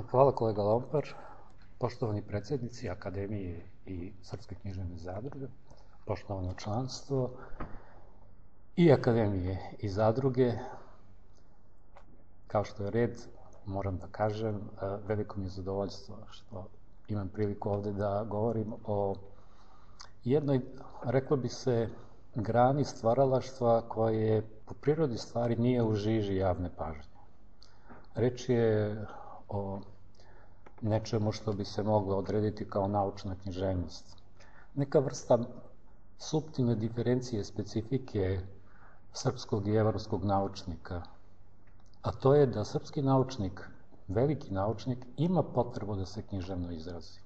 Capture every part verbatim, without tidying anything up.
Hvala kolega Lompar, poštovani predsjednici Akademije i Srpske književne zadruge, poštovano članstvo i Akademije i zadruge. Kao što je red, moram da kažem, veliko mi je zadovoljstvo što imam priliku ovde da govorim o jednoj, reklo bi se, grani stvaralaštva koje po prirodi stvari nije u žiži javne pažnje. Reč je o nečemu što bi se moglo odrediti kao naučna književnost. Neka vrsta suptilne diferencije specifike srpskog i evropskog naučnika, a to je da srpski naučnik, veliki naučnik, ima potrebu da se književno izrazi.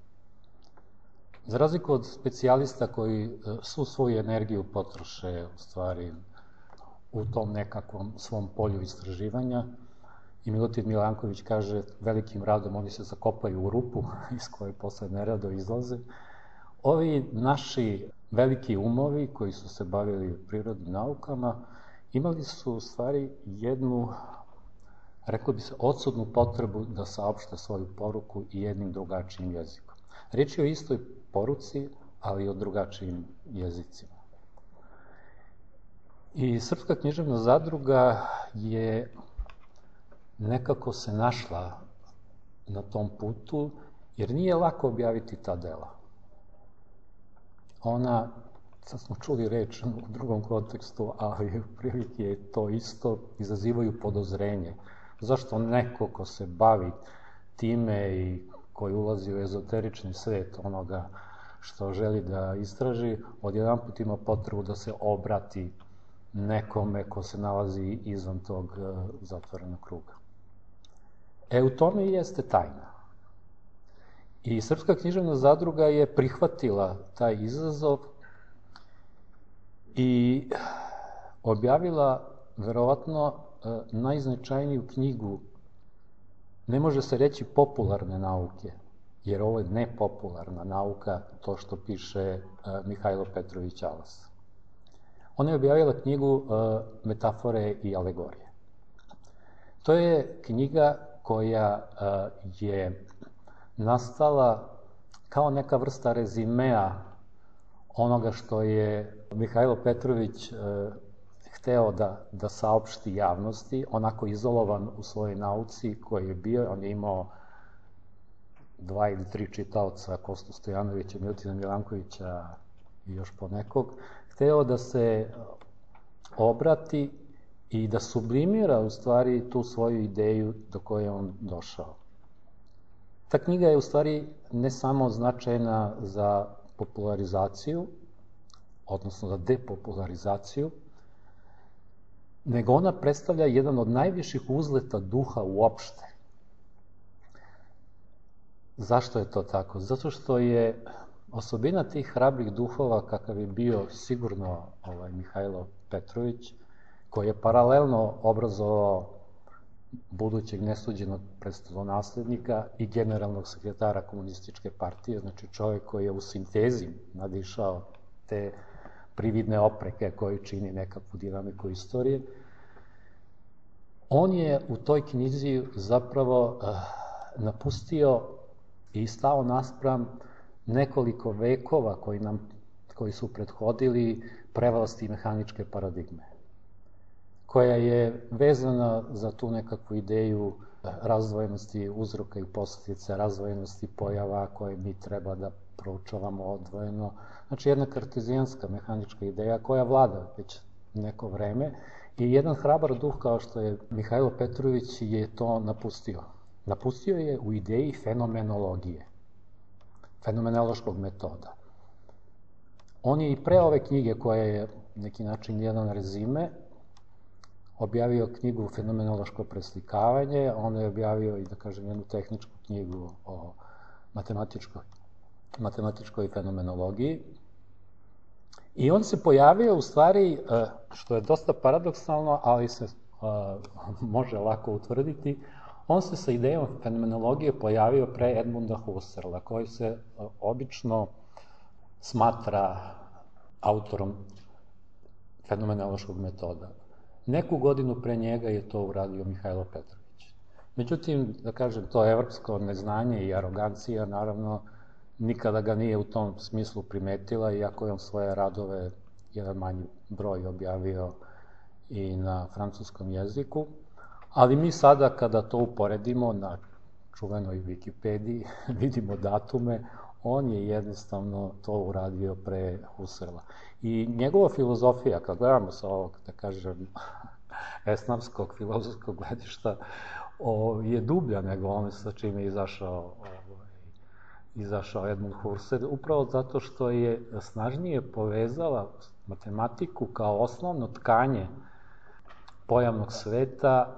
Za razliku od specijalista koji svu svoju energiju potroše u stvari u tom nekakvom svom polju istraživanja, i Milutin Milanković kaže velikim radom oni se zakopaju u rupu iz koje posle nerado izlaze. Ovi naši veliki umovi koji su se bavili prirodnim naukama imali su u stvari jednu, reklo bi se, odsudnu potrebu da saopšte svoju poruku i jednim drugačijim jezikom. Reč je o istoj poruci, ali i o drugačijim jezicima. I Srpska književna zadruga je nekako se našla na tom putu, jer nije lako objaviti ta dela. Ona, sad smo čuli reč u drugom kontekstu, ali u prilike je to isto, izazivaju podozrenje. Zašto neko ko se bavi time i koji ulazi u ezoterični svet onoga što želi da istraži, odjedan put ima potrebu da se obrati nekome ko se nalazi izvan tog zatvorenog kruga. E, u tome i jeste tajna. I Srpska književna zadruga je prihvatila taj izazov i objavila, verovatno, najznačajniju knjigu, ne može se reći popularne nauke, jer ovo je nepopularna nauka, to što piše Mihajlo Petrović Alas. Ona je objavila knjigu Metafore i alegorije. To je knjiga koja je nastala kao neka vrsta rezimea onoga što je Mihajlo Petrović hteo da, da saopšti javnosti, onako izolovan u svojoj nauci koji je bio. On je imao dva ili tri čitaoca, Kostu Stojanovića, Milutina Milankovića i još ponekog. Hteo da se obrati i da sublimira u stvari tu svoju ideju do koje je on došao. Ta knjiga je u stvari ne samo značajna za popularizaciju, odnosno za depopularizaciju, nego ona predstavlja jedan od najviših uzleta duha uopšte. Zašto je to tako? Zato što je osobina tih hrabrih duhova, kakav je bio sigurno ovaj, Mihajlo Petrović, koji je paralelno obrazovao budućeg nesuđenog prestolonaslednika i generalnog sekretara komunističke partije, znači čovjek koji je u sintezi nadišao te prividne opreke koje čini nekakvu dinamiku istorije. On je u toj knjizi zapravo napustio i stao naspram nekoliko vekova koji, nam, koji su prethodili prevlasti mehaničke paradigme, koja je vezana za tu nekakvu ideju razdvojenosti uzroka i posljedice, razdvojenosti pojava koje mi treba da proučavamo odvojeno. Znači, jedna kartezijanska mehanička ideja koja vlada već neko vreme i jedan hrabar duh kao što je Mihajlo Petrović je to napustio. Napustio je u ideji fenomenologije, fenomenološkog metoda. On je i pre ove knjige, koja je neki način jedan rezime, objavio knjigu Fenomenološko preslikavanje, on je objavio i, da kažem, jednu tehničku knjigu o matematičkoj, matematičkoj fenomenologiji. I on se pojavio, u stvari, što je dosta paradoksalno, ali se može lako utvrditi, on se sa idejom fenomenologije pojavio pre Edmunda Husserla, koji se obično smatra autorom fenomenološkog metoda. Neku godinu pre njega je to uradio Mihajlo Petrović. Međutim, da kažem, to evropsko neznanje i arogancija, naravno, nikada ga nije u tom smislu primetila, iako je on svoje radove, jedan manji broj, objavio i na francuskom jeziku. Ali mi sada, kada to uporedimo na čuvenoj Wikipediji, vidimo datume, on je jednostavno to uradio pre Husserla. I njegova filozofija, kad gledamo sa ovog, da kažem, esnavskog filozofskog gledišta, je dublja nego ono sa čime je izašao, izašao Edmund Husserl, upravo zato što je snažnije povezala matematiku kao osnovno tkanje pojavnog sveta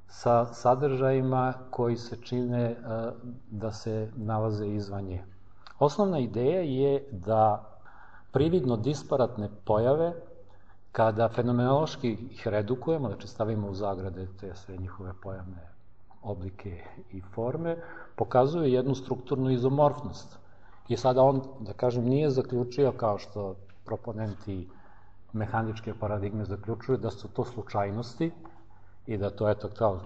sa sadržajima koji se čine da se nalaze izvan nje. Osnovna ideja je da prividno disparatne pojave, kada fenomenološki ih redukujemo, znači stavimo u zagrade te sve njihove pojavne oblike i forme, pokazuju jednu strukturnu izomorfnost. I sada on, da kažem, nije zaključio, kao što proponenti mehaničke paradigme zaključuju, da su to slučajnosti i da to, eto, kao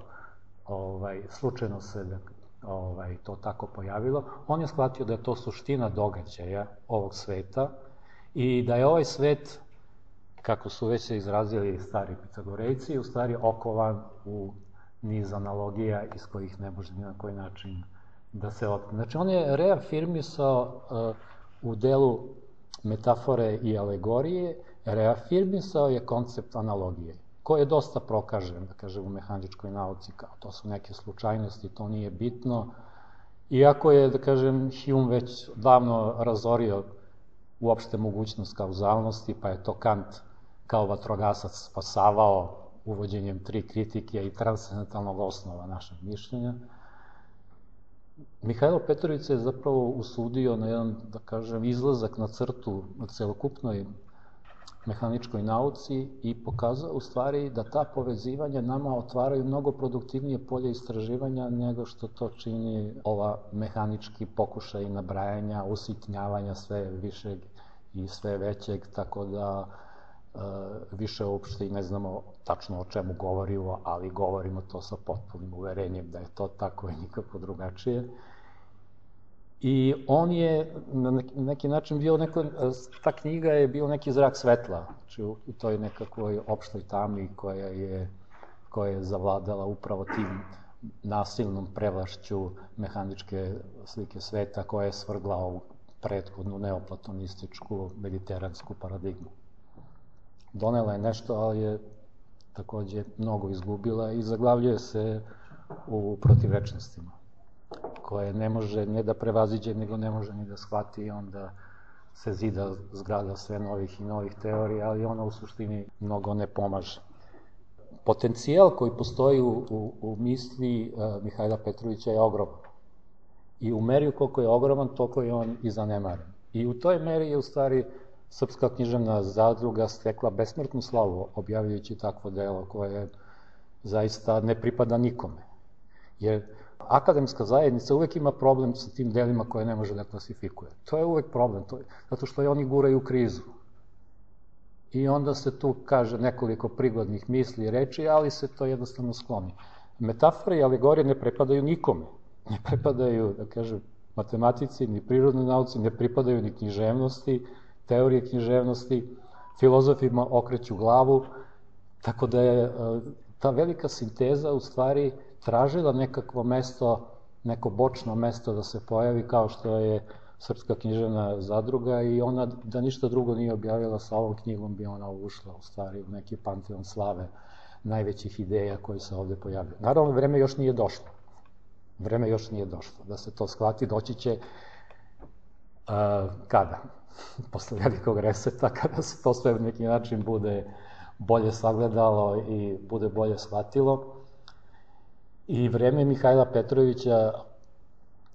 ovaj, slučajno se ovaj, to tako pojavilo. On je shvatio da je to suština događaja ovog sveta i da je ovaj svet, kako su već se izrazili stari Pitagorejci, u stvari okovan u niz analogija iz kojih ne može ni na koji način da se otkrije. Znači, on je reafirmisao uh, u delu metafore i alegorije, reafirmisao je koncept analogije, koji je dosta prokažen, da kažem, u mehaničkoj nauci, kao to su neke slučajnosti, to nije bitno, iako je, da kažem, Hume već davno razorio uopšte mogućnost kauzalnosti, pa je to Kant kao vatrogasac spasavao uvođenjem tri kritike i transcendentalnog osnova našeg mišljenja. Mihajlo Petrović se je zapravo usudio na jedan, da kažem, izlazak na crtu na celokupnoj mehaničkoj nauci i pokazao u stvari da ta povezivanja nama otvaraju mnogo produktivnije polje istraživanja nego što to čini ova mehanički pokušaj nabrajanja, usitnjavanja sve višeg i sve većeg, tako da e, više uopšte i ne znamo tačno o čemu govorimo, ali govorimo to sa potpunim uverenjem da je to tako i nikako drugačije. I on je na neki način bio neko, ta knjiga je bio neki zrak svetla, znači u toj nekakvoj opštoj tami koja je, koja je zavladala upravo tim nasilnom prevlašću mehaničke slike sveta koja je svrgla ovu prethodnu neoplatonističku mediteransku paradigmu. Donela je nešto, ali je takođe mnogo izgubila i zaglavljuje se u protivrečnostima, koje ne može ne da prevaziđe, nego ne može ni da shvati i onda se zida zgrada sve novih i novih teorija, ali ona u suštini mnogo ne pomaže. Potencijal koji postoji u, u, u misli uh, Mihajla Petrovića je ogroman. I u meri koliko je ogroman, toliko je on i zanemaren. I u toj meri je u stvari Srpska književna zadruga stekla besmrtnu slavu objavljujući takvo delo koje zaista ne pripada nikome. Jer akademska zajednica uvek ima problem sa tim delima koje ne može da klasifikuje. To je uvek problem, to je, zato što je oni guraju u krizu. I onda se tu kaže nekoliko prigodnih misli i reči, ali se to jednostavno skloni. Metafore i alegorije ne pripadaju nikome. Ne pripadaju, da kažem, matematici, ni prirodnoj nauci, ne pripadaju ni književnosti, teorije književnosti, filozofima okreću glavu, tako da je ta velika sinteza u stvari tražila nekakvo mesto, neko bočno mesto da se pojavi, kao što je Srpska književna zadruga, i ona, da ništa drugo nije objavila sa ovom knjigom, bi ona ušla u stvari u neki panteon slave najvećih ideja koji se ovde pojavljaju. Naravno, vreme još nije došlo. Vreme još nije došlo. Da se to shvati, doći će uh, kada? Posle velikog reseta, kada se to sve na neki način bude bolje sagledalo i bude bolje shvatilo. I vreme Mihajla Petrovića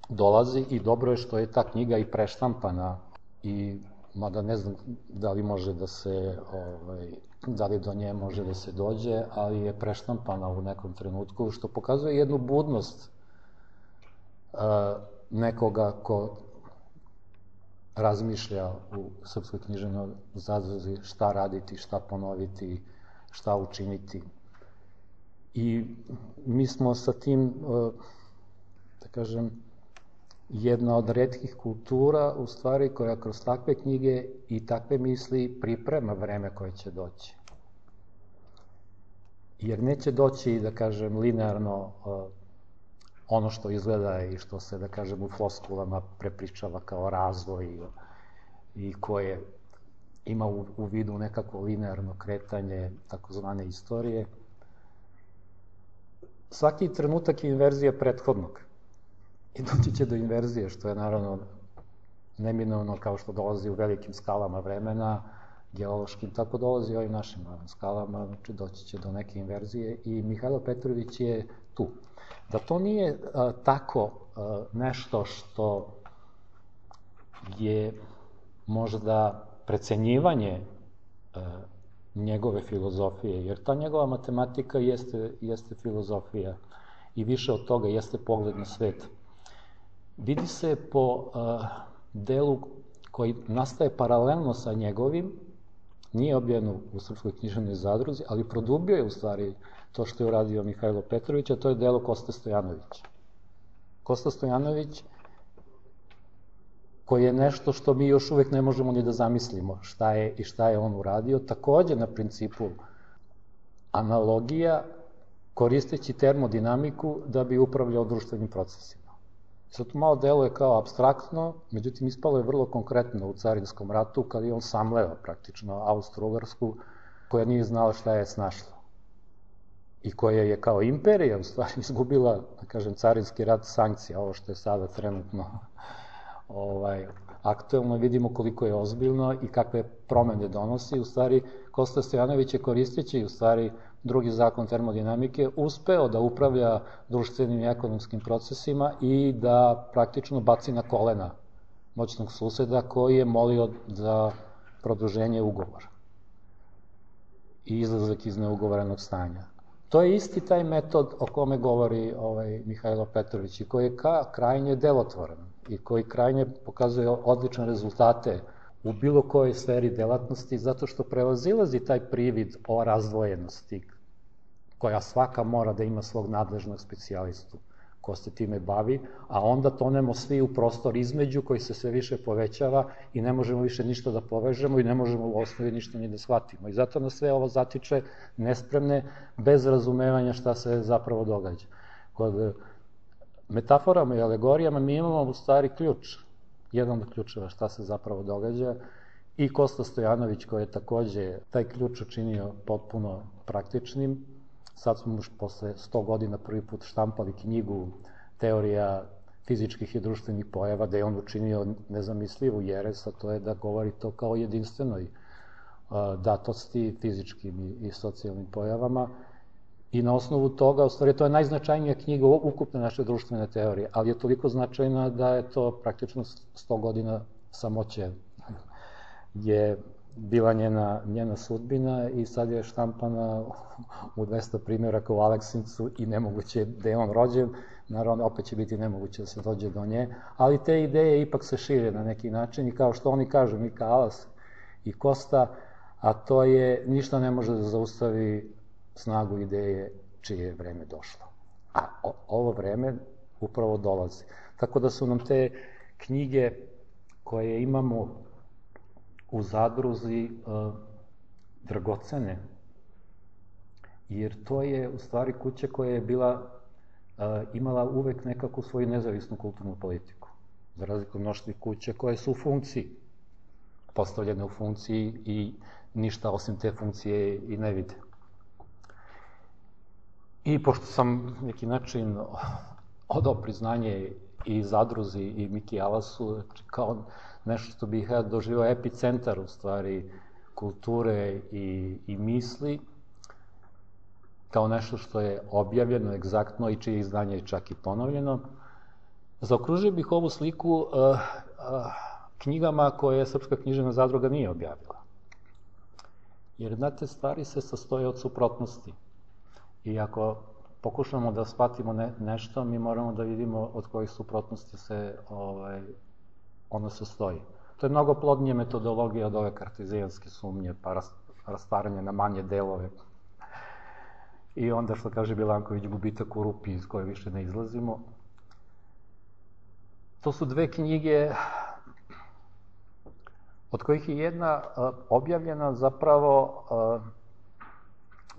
dolazi i dobro je što je ta knjiga i preštampana, i mada ne znam da li može da se, ovaj, da li do nje može da se dođe, ali je preštampana u nekom trenutku, što pokazuje jednu budnost uh, nekoga ko razmišlja u Srpskoj I mi smo sa tim, da kažem, jedna od retkih kultura, u stvari, koja kroz takve knjige i takve misli priprema vreme koje će doći. Jer neće doći, da kažem, linearno ono što izgleda i što se, da kažem, u floskulama prepričava kao razvoj i koje ima u, u vidu nekako linearno kretanje takozvane istorije. Svaki trenutak je inverzija prethodnog. I doći će do inverzije, što je naravno neminovno kao što dolazi u velikim skalama vremena, geološkim, tako dolazi i ovim našim skalama, znači doći će do neke inverzije i Mihajlo Petrović je tu. Da to nije a, tako a, nešto što je možda precenjivanje a, njegove filozofije, jer ta njegova matematika jeste, jeste filozofija i više od toga jeste pogled na svet. Vidi se po uh, delu koji nastaje paralelno sa njegovim, nije objavljeno u Srpskoj književnoj zadruzi, ali produbio je u stvari to što je uradio Mihajlo Petrović, a to je delo Koste Stojanovića. Kosta Stojanović, koji je nešto što mi još uvek ne možemo ni da zamislimo šta je i šta je on uradio, takođe na principu analogija, koristeći termodinamiku da bi upravljao društvenim procesima. Sad to malo deluje kao apstraktno, međutim ispalo je vrlo konkretno u Carinskom ratu, kad je on samleo praktično Austro-Ugarsku, koja nije znala šta je snašla. I koja je kao imperija u stvari izgubila, da kažem, Carinski rat sankcija, ovo što je sada trenutno ovaj, aktuelno, vidimo koliko je ozbiljno i kakve promene donosi. U stvari, Kosta Stojanović je koristeći u stvari drugi zakon termodinamike uspeo da upravlja društvenim i ekonomskim procesima i da praktično baci na kolena moćnog suseda koji je molio za produženje ugovora i izlazak iz neugovorenog stanja. To je isti taj metod o kome govori ovaj Mihajlo Petrović i koji je ka, krajnje delotvoran i koji krajnje pokazuje odlične rezultate u bilo kojoj sferi delatnosti, zato što prevazilazi taj privid o razdvojenosti, koja svaka mora da ima svog nadležnog specijalistu ko se time bavi, a onda tonemo svi u prostor između koji se sve više povećava i ne možemo više ništa da povežemo i ne možemo u osnovi ništa ni da shvatimo. I zato nas sve ovo zatiče nespremne, bez razumevanja šta se zapravo događa. Kod metaforama i alegorijama mi imamo u stvari ključ, jedan od ključeva šta se zapravo događa, i Kosta Stojanović koji je takođe taj ključ učinio potpuno praktičnim. Sad smo už posle sto godina prvi put štampali knjigu Teorija fizičkih i društvenih pojava, da je on učinio nezamislivu jeres, a to je da govori to kao jedinstvenoj datosti fizičkim i socijalnim pojavama. I na osnovu toga, u stvari, to je najznačajnija knjiga ukupne naše društvene teorije, ali je toliko značajna da je to praktično sto godina samoće je bila njena, njena sudbina i sad je štampana u dvesta primjeraka u Aleksincu i nemoguće da je on rođen, naravno opet će biti nemoguće da se dođe do nje, ali te ideje ipak se šire na neki način i kao što oni kažu, Mika Alas i Kosta, a to je ništa ne može da zaustavi snagu ideje čije je vreme došlo. A ovo vreme upravo dolazi. Tako da su nam te knjige koje imamo u zadruzi uh, dragocene, jer to je u stvari kuća koja je bila, uh, imala uvek nekako svoju nezavisnu kulturnu politiku, za razliku od mnoštva kuća koje su u funkciji, postavljene u funkciji i ništa osim te funkcije i ne vide. I pošto sam neki način odao priznanje i zadruzi i Miki Alasu, kao nešto što bih ja doživao epicentar u stvari kulture i, i misli, kao nešto što je objavljeno egzaktno i čije izdanje je čak i ponovljeno, zaokružio bih ovu sliku uh, uh, knjigama koje Srpska književna zadruga nije objavila. Jer, znate, stvari se sastoje od suprotnosti. I ako pokušamo da shvatimo ne, nešto, mi moramo da vidimo od kojih suprotnosti se ovaj, ono sastoji. To je mnogo plodnije metodologija od ove kartezijanske sumnje, pa rastvaranje na manje delove. i onda, što kaže Bilanković, gubitak u rupi iz koje više ne izlazimo. To su dve knjige od kojih je jedna objavljena zapravo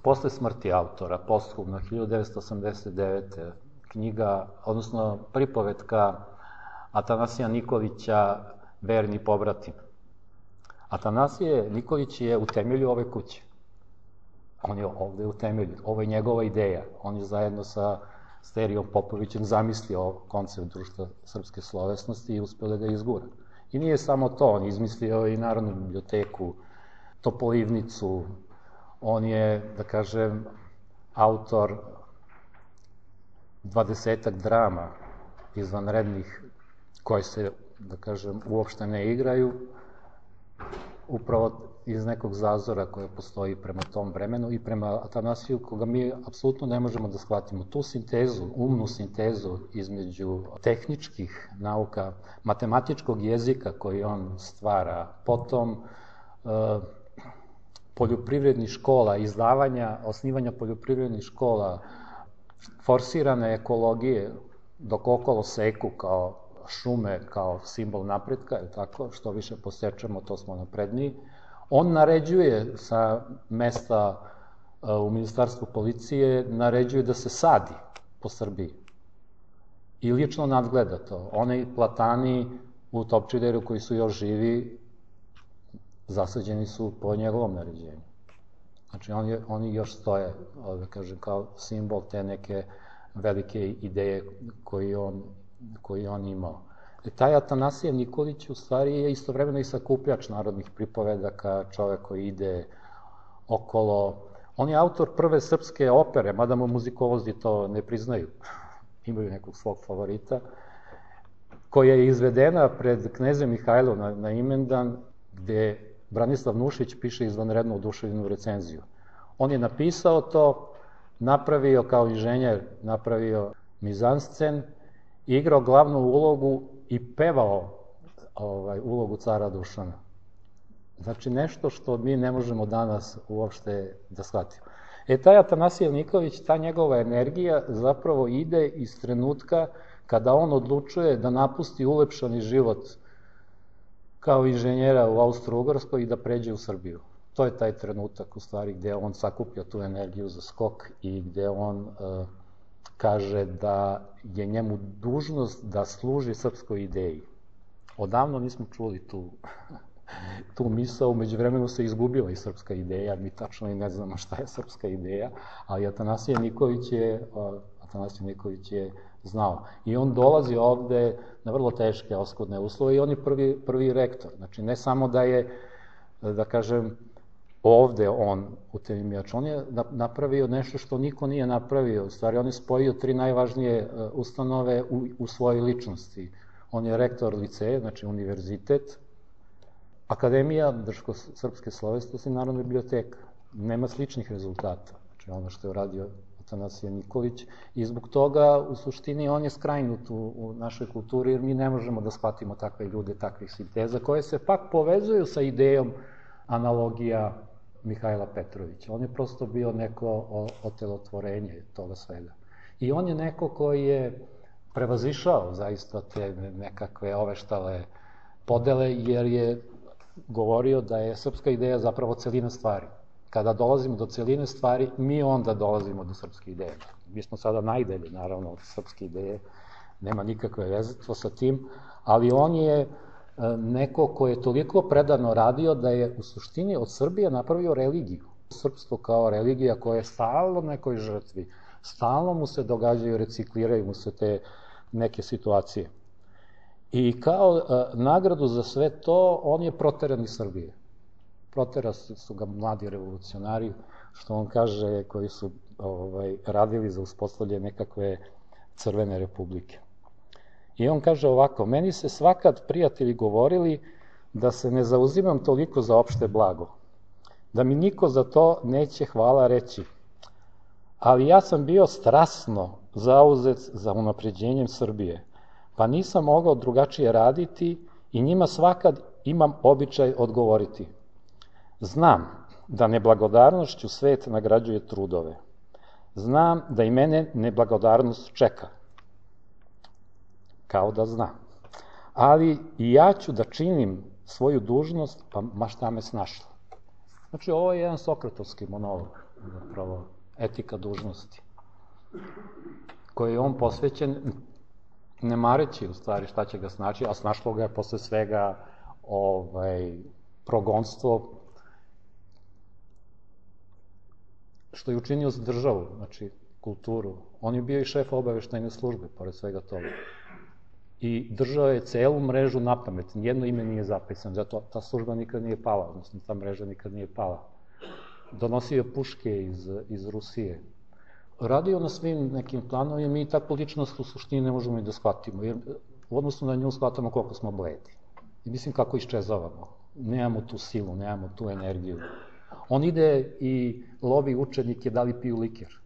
posle smrti autora, posthumno, hiljadu devetsto osamdeset devete. knjiga, odnosno pripovetka Atanasija Nikolića Verni pobratim. Atanasije Nikolić je utemeljio ove kuće. On je ovde utemeljio, ovo je njegova ideja. On je zajedno sa Sterijom Popovićem zamislio koncept društva srpske slovesnosti i uspeo da ga izgura. I nije samo to, on je izmislio i Narodnu biblioteku, Topolivnicu, on je, da kažem, autor dvadesetak drama izvanrednih koje se, da kažem, uopšte ne igraju, upravo iz nekog zazora koje postoji prema tom vremenu i prema Atanasiju, koga mi apsolutno ne možemo da shvatimo. Tu sintezu, umnu sintezu između tehničkih nauka, matematičkog jezika koji on stvara, potom e, poljoprivrednih škola, izdavanja, osnivanja poljoprivrednih škola, forsirane ekologije, dok okolo seku kao šume, kao simbol napretka, je tako, što više posečemo, to smo napredniji. On naređuje sa mesta u Ministarstvu policije, naređuje da se sadi po Srbiji. I lično nadgleda to. Oni platani u Topčideru koji su još živi, zasađeni su po njegovom naređenju. Znači, oni, oni još stoje, da kažem, kao simbol te neke velike ideje koji on, koji on imao. I taj Atanasije Nikolić u stvari je istovremeno i sakupljač narodnih pripovedaka, čovek koji ide okolo. On je autor prve srpske opere, mada mu muzikolozi to ne priznaju, imaju nekog svog favorita, koja je izvedena pred knezem Mihajlom na, na imendan, gde Branislav Nušić piše izvanrednu oduševljenu recenziju. On je napisao to, napravio kao inženjer, napravio mizanscen, igrao glavnu ulogu i pevao ovaj, ulogu cara Dušana. Znači, nešto što mi ne možemo danas uopšte da shvatimo. E, taj Atanasije Nikolić, ta njegova energija zapravo ide iz trenutka kada on odlučuje da napusti ulepšani život kao inženjera u Austro-Ugarskoj i da pređe u Srbiju. To je taj trenutak, u stvari, gde on sakuplja tu energiju za skok i gde on uh, kaže da je njemu dužnost da služi srpskoj ideji. Odavno nismo čuli tu, tu misao, umeđu vremenu se izgubila i srpska ideja, mi tačno i ne znamo šta je srpska ideja, ali Atanasije Nikolić je, uh, Atanasije Nikolić je znao. I on dolazi ovde na vrlo teške, oskudne uslove i on je prvi, prvi rektor. Znači, ne samo da je, da kažem, ovde on utemeljač, on je napravio nešto što niko nije napravio. U stvari, on je spojio tri najvažnije ustanove u, u svojoj ličnosti. On je rektor liceja, znači univerzitet, Akademija Drško-srpske slovesnosti i Narodna biblioteka. Nema sličnih rezultata. Znači, ono što je uradio Atanasije Nikolić, i zbog toga, u suštini, on je skrajnut u, u našoj kulturi, jer mi ne možemo da shvatimo takve ljude, takvih sinteza, koje se pak povezuju sa idejom analogija Mihajla Petrovića. On je prosto bio neko otelotvorenje toga svega. I on je neko koji je prevazišao zaista te nekakve oveštale podele, jer je govorio da je srpska ideja zapravo celina stvari. Kada dolazimo do celine stvari, mi onda dolazimo do srpske ideje. Mi smo sada najdalje, naravno, od srpske ideje, nema nikakve veze to sa tim, ali on je neko ko je toliko predano radio da je u suštini od Srbije napravio religiju. Srpstvo kao religija koja je stalno nekoj žrtvi, stalno mu se događaju, recikliraju mu se te neke situacije. I kao nagradu za sve to, on je proteran iz Srbije. Protera su ga mladi revolucionari, što on kaže, koji su ovaj, radili za uspostavljanje nekakve crvene republike. I on kaže ovako: meni se svakad prijatelji govorili da se ne zauzimam toliko za opšte blago, da mi niko za to neće hvala reći, ali ja sam bio strasno zauzet za unapređenjem Srbije, pa nisam mogao drugačije raditi i njima svakad imam običaj odgovoriti. Znam da neblagodarnošću svet nagrađuje trudove. Znam da i mene neblagodarnost čeka. Kao da zna. Ali i ja ću da činim svoju dužnost, pa ma šta me snašla. Znači, ovo je jedan sokratovski monolog, zapravo, etika dužnosti, koji je on posvećen, ne mareći u stvari šta će ga snaći, a snašlo ga je posle svega ovaj, progonstvo, što je učinio za državu, znači kulturu. On je bio i šef obaveštajne službe, pored svega toga. I držao je celu mrežu na pamet, nijedno ime nije zapisano, zato ta služba nikad nije pala, odnosno ta mreža nikad nije pala. Donosio je puške iz, iz Rusije. Radio na svim nekim planovima i takvu ličnost u suštini ne možemo i da shvatimo, jer u odnosu na nju shvatamo koliko smo bledi. I mislim kako iščezavamo. Nemamo tu silu, nemamo tu energiju. On ide i lovi učenike da li piju liker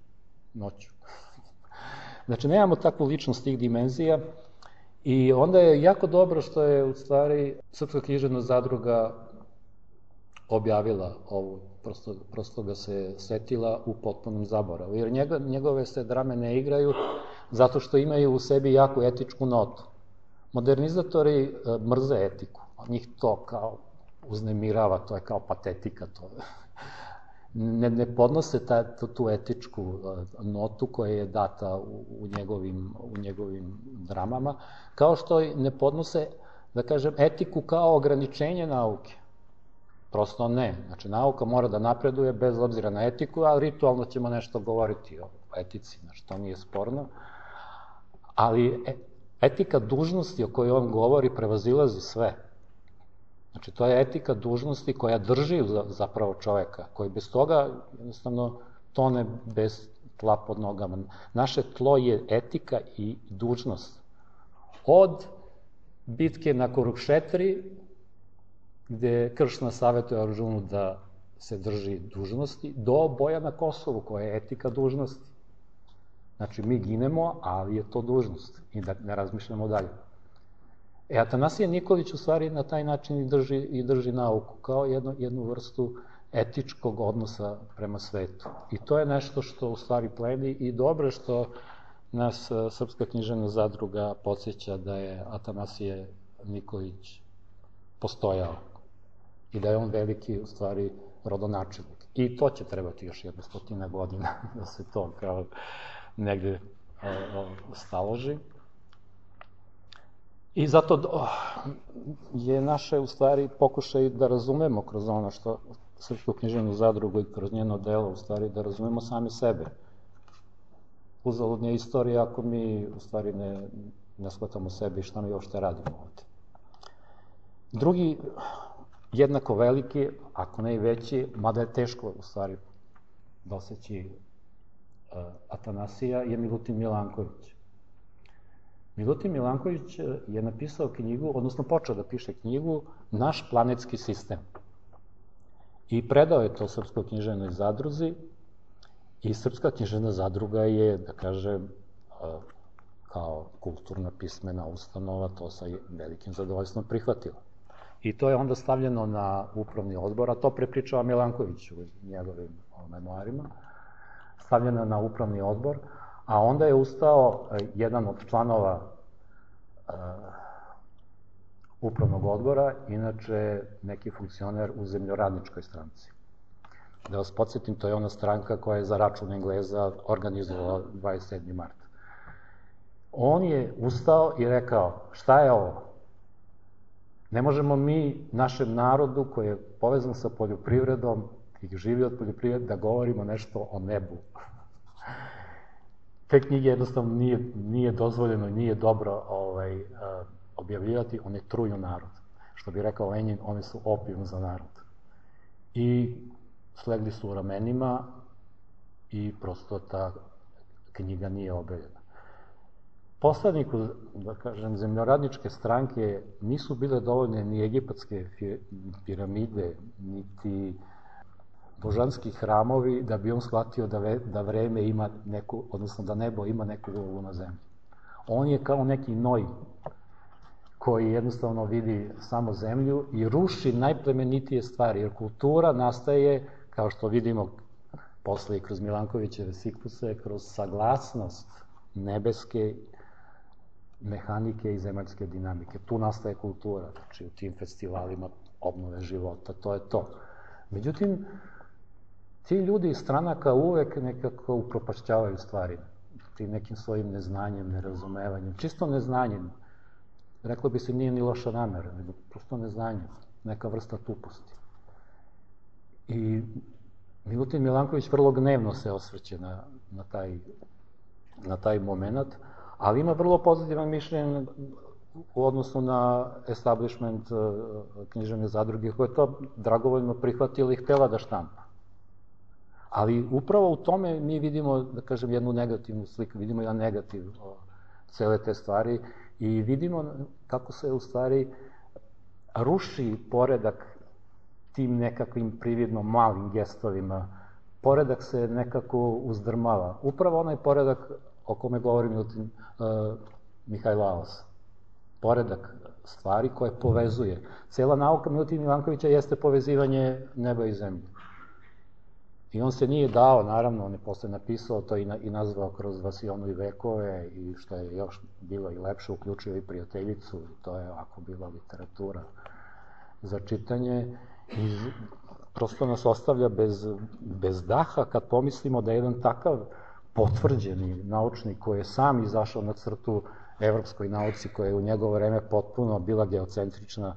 noću. Znači, nemamo takvu ličnost tih dimenzija i onda je jako dobro što je u stvari Srpska književna zadruga objavila ovu, prosto, prosto ga se setila u potpunom zaboravu. Jer njega, njegove se drame ne igraju zato što imaju u sebi jaku etičku notu. Modernizatori e, mrze etiku, a njih to kao uznemirava, to je kao patetika, to ne, ne podnose ta, tu etičku notu koja je data u, u, njegovim, u njegovim dramama, kao što ne podnose, da kažem, etiku kao ograničenje nauke. Prosto ne. Znači, nauka mora da napreduje bez obzira na etiku, a ritualno ćemo nešto govoriti o etici, znači, to nije sporno. Ali etika dužnosti o kojoj on govori prevazilazi sve. Znači, to je etika dužnosti koja drži zapravo čoveka, koji bez toga jednostavno tone bez tla pod nogama. Naše tlo je etika i dužnost. Od bitke na Kurukšetri, gde Kršna savjetuje Aržunu da se drži dužnosti, do boja na Kosovu, koja je etika dužnosti. Znači, mi ginemo, ali je to dužnost i da ne razmišljamo dalje. E, Atanasije Nikolić u stvari na taj način i drži, i drži nauku, kao jednu, jednu vrstu etičkog odnosa prema svetu. I to je nešto što u stvari pleni i dobro što nas Srpska književna zadruga podsjeća da je Atanasije Nikolić postojao i da je on veliki, u stvari, rodonačelnik. I to će trebati još jedna stotina godina da se to kao negde o, o, staloži. I zato oh, je naše, u stvari, pokušaj da razumemo kroz ono što Srpsku književnu zadrugu i kroz njeno delo, u stvari, da razumemo sami sebe. Uzaludnja istorija ako mi, u stvari, ne, ne shvatamo sebe i šta mi uopšte radimo ovde. Drugi, jednako veliki, ako ne i veći, mada je teško, u stvari, doseći uh, Atanasija, je Milutin Milanković. Milutin Milanković je napisao knjigu, odnosno počeo da piše knjigu Naš planetski sistem. I predao je to Srpskoj književnoj zadruzi i Srpska književna zadruga je, da kažem, kao kulturna pismena ustanova, to sa velikim zadovoljstvom prihvatila. I to je onda stavljeno na upravni odbor, a to prepričava Milanković u njegovim memoarima, stavljeno na upravni odbor, a onda je ustao jedan od članova uh, upravnog odbora, inače neki funkcioner u Zemljoradničkoj stranci. Da vas podsjetim, to je ona stranka koja je za račun Engleza organizovala dvadeset sedmi mart. On je ustao i rekao, šta je ovo? Ne možemo mi našem narodu koji je povezan sa poljoprivredom i živi od poljoprivrede da govorimo nešto o nebu. Te knjige jednostavno nije, nije dozvoljeno i nije dobro ovaj, uh, objavljivati, one truju narod. Što bi rekao Lenin, one su opijum za narod. I slegli su u ramenima i prosto ta knjiga nije objavljena. Poslaniku, da kažem, Zemljoradničke stranke nisu bile dovoljne ni egipatske piramide, niti božanski hramovi, da bi on shvatio da, ve, da vreme ima neku, odnosno da nebo ima neku ulogu na zemlji. On je kao neki noj koji jednostavno vidi samo zemlju i ruši najplemenitije stvari, jer kultura nastaje, kao što vidimo posle i kroz Milankovićeve sikluse, kroz saglasnost nebeske mehanike i zemaljske dinamike. Tu nastaje kultura, znači u tim festivalima obnove života, to je to. Međutim, ti ljudi iz stranaka uvek nekako upropašćavaju stvari, tim nekim svojim neznanjem, nerazumevanjem, čisto neznanjem. Reklo bi se, nije ni loša namera, nego prosto neznanje, neka vrsta tuposti. I Milutin Milanković vrlo gnevno se osvrće na, na, taj, na taj moment, ali ima vrlo pozitivan mišljenje u odnosu na establishment književne zadruge, koja je to dragovoljno prihvatila i htela da štampa. Ali upravo u tome mi vidimo, da kažem, jednu negativnu sliku, vidimo jedan negativ cele te stvari i vidimo kako se u stvari ruši poredak tim nekakvim prividno malim gestovima. Poredak se nekako uzdrmava. Upravo onaj poredak o kome govori Milutin uh, Mihajlaos. Poredak stvari koje povezuje. Cela nauka Milutina Milankovića jeste povezivanje neba i zemlje. I on se nije dao, naravno, on je posle napisao to i, na, i nazvao kroz Vasionu i vekove i što je još bilo i lepše, uključio i prijateljicu, i to je ovako bila literatura za čitanje. I prosto nas ostavlja bez, bez daha kad pomislimo da je jedan takav potvrđeni naučnik koji je sam izašao na crtu evropskoj nauci, koja je u njegovo vreme potpuno bila geocentrična,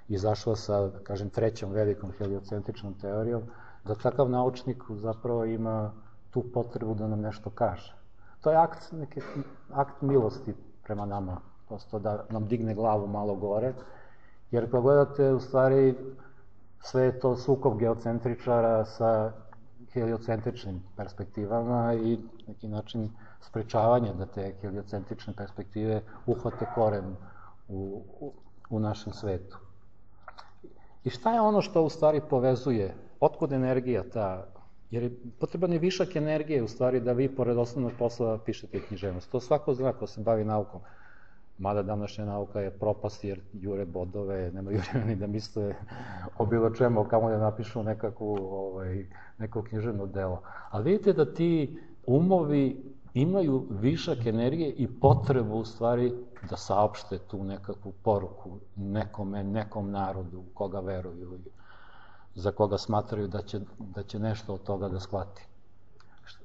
izašla sa, da kažem, trećom velikom heliocentričnom teorijom, da takav naučnik zapravo ima tu potrebu da nam nešto kaže. To je akt, neke, akt milosti prema nama, prosto da nam digne glavu malo gore, jer ako gledate, u stvari, sve je to sukob geocentričara sa heliocentričnim perspektivama i neki način sprečavanje da te heliocentrične perspektive uhvate koren u, u, u našem svetu. I šta je ono što u stvari povezuje? Otkud energija ta? Jer je potreban je višak energije u stvari da vi pored osnovnog posla pišete književnost. To svako zna ko se bavi naukom. Mada današnja nauka je propast jer jure bodove, nema jure ni da misle o bilo čemu, kamo da napišu nekakvu, ovaj, neko književno delo. Ali vidite da ti umovi imaju višak energije i potrebu u stvari da saopšte tu nekakvu poruku nekome, nekom narodu u koga veruju i za koga smatraju da će, da će nešto od toga da shvati.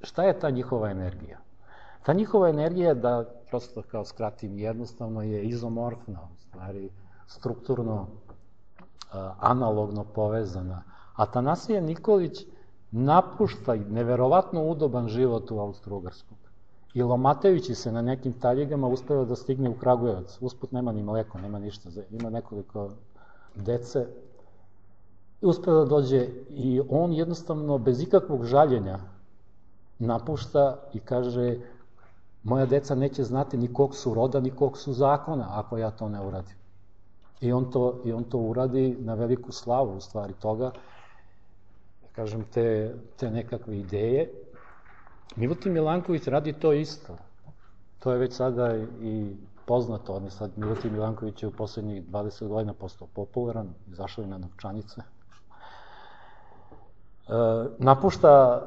Šta je ta njihova energija? Ta njihova energija, da prosto kao skratim jednostavno, je izomorfna, u stvari strukturno, analogno povezana. Atanasije Nikolić napušta neverovatno udoban život u Austro-Ugarskoj. I lomatajući se na nekim taljigama uspeva da stigne u Kragujevac. Usput nema ni mleko, nema ništa, ima nekoliko dece. Uspeva da dođe i on jednostavno bez ikakvog žaljenja napušta i kaže: moja deca neće znati ni kog su roda, ni kog su zakona, ako ja to ne uradim. I on to, i on to uradi na veliku slavu, u stvari, toga, kažem, te, te nekakve ideje. Milutin Milanković radi to isto. To je već sada i poznato. On je sad, Milutin Milanković je u poslednjih dvadeset godina postao popularan, izašao je na novčanice. E, napušta,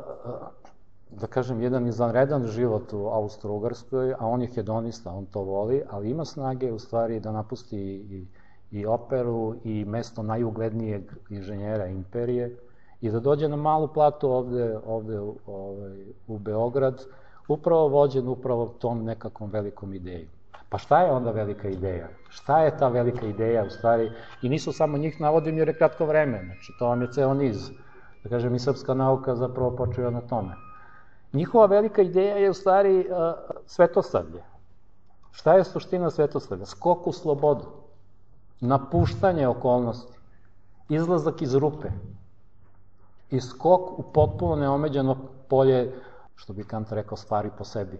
da kažem, jedan izvanredan život u Austro-Ugarskoj, a on je hedonista, on to voli, ali ima snage u stvari da napusti i, i operu i mesto najuglednijeg inženjera imperije i da dođe na malu platu ovde, ovde ovaj, u Beograd, upravo vođen upravo tom nekakvom velikom idejom. Pa šta je onda velika ideja? Šta je ta velika ideja u stvari? I nisu samo njih navodim jer je kratko vreme, znači to vam je ceo niz. Da kažem, i srpska nauka zapravo počeva na tome. Njihova velika ideja je u stvari uh, svetosavlje. Šta je suština svetosavlja? Skok u slobodu, napuštanje okolnosti, izlazak iz rupe i skok u potpuno neomeđeno polje, što bi Kant rekao, stvari po sebi.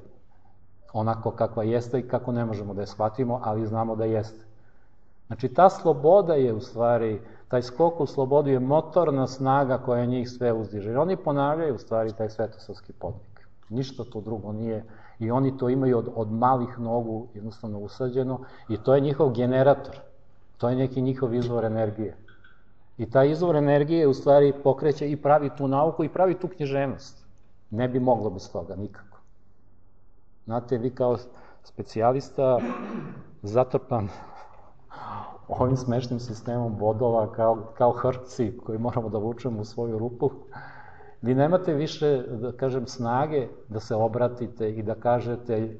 Onako kakva jeste i kako ne možemo da je shvatimo, ali znamo da jeste. Znači, ta sloboda je u stvari, taj skok u slobodu je motorna snaga koja njih sve uzdiže. Oni ponavljaju u stvari taj svetosavski podvig. Ništa to drugo nije. I oni to imaju od, od malih nogu jednostavno usađeno i to je njihov generator. To je neki njihov izvor energije. I taj izvor energije u stvari pokreće i pravi tu nauku i pravi tu književnost. Ne bi moglo bez toga, nikako. Znate, vi kao specijalista zatrpan ovim smešnim sistemom bodova kao, kao hrpci koji moramo da vučemo u svoju rupu, vi nemate više, da kažem, snage da se obratite i da kažete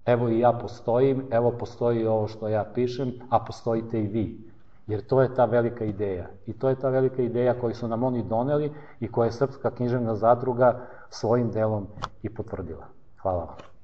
evo i ja postojim, evo postoji ovo što ja pišem, a postojite i vi. Jer to je ta velika ideja. I to je ta velika ideja koju su nam oni doneli i koja je Srpska književna zadruga svojim delom i potvrdila. Hvala vam.